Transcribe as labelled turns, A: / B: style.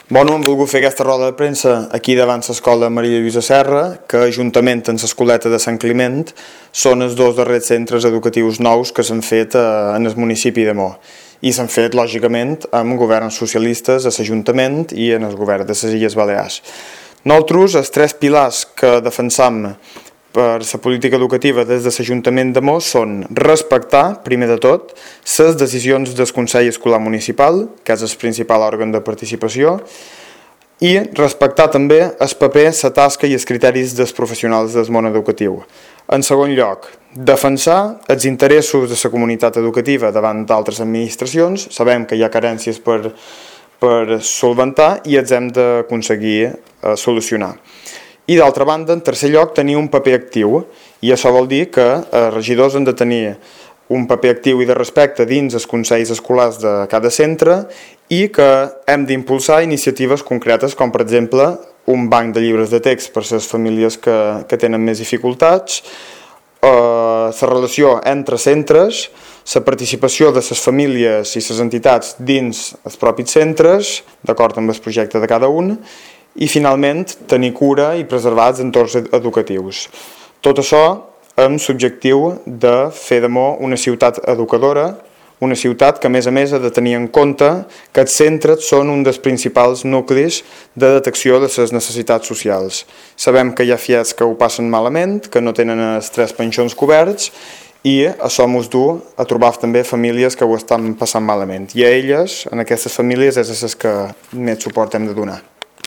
A: Hem volgut fer aquesta roda de premsa aquí davant l'escola Maria Lluïsa Serra, que juntament amb l'escoleta de Sant Climent són els dos darrers centres educatius nous que s'han fet en el municipi de Mo. I s'han fet, lògicament, amb governs socialistes a l'Ajuntament i en el govern de les Illes Balears. Nosaltres, els tres pilars que defensam per la política educativa des de l'Ajuntament de Mo són respectar, primer de tot, les decisions del Consell Escolar Municipal, que és el principal òrgan de participació, i respectar també el paper, la tasca i els criteris dels professionals del món educatiu. En segon lloc, defensar els interessos de la comunitat educativa davant d'altres administracions. Sabem que hi ha carències per solventar i els hem d'aconseguir solucionar. I d'altra banda, en tercer lloc, tenir un paper actiu, i això vol dir que els regidors han de tenir un paper actiu i de respecte dins els consells escolars de cada centre i que hem d'impulsar iniciatives concretes com, per exemple, un banc de llibres de text per a les famílies que tenen més dificultats, la relació entre centres, la participació de les famílies i les entitats dins els propis centres, d'acord amb el projecte de cada un, i finalment tenir cura i preservar els entorns educatius. Tot això amb l'objectiu de fer de Mo una ciutat educadora, una ciutat que a més ha de tenir en compte que els centres són un dels principals nuclis de detecció de les necessitats socials. Sabem que hi ha fiats que ho passen malament, que no tenen els 3 pensions coberts, i això ens du a trobar també famílies que ho estan passant malament. I a elles, en aquestes famílies, és a les que més suport hem de donar.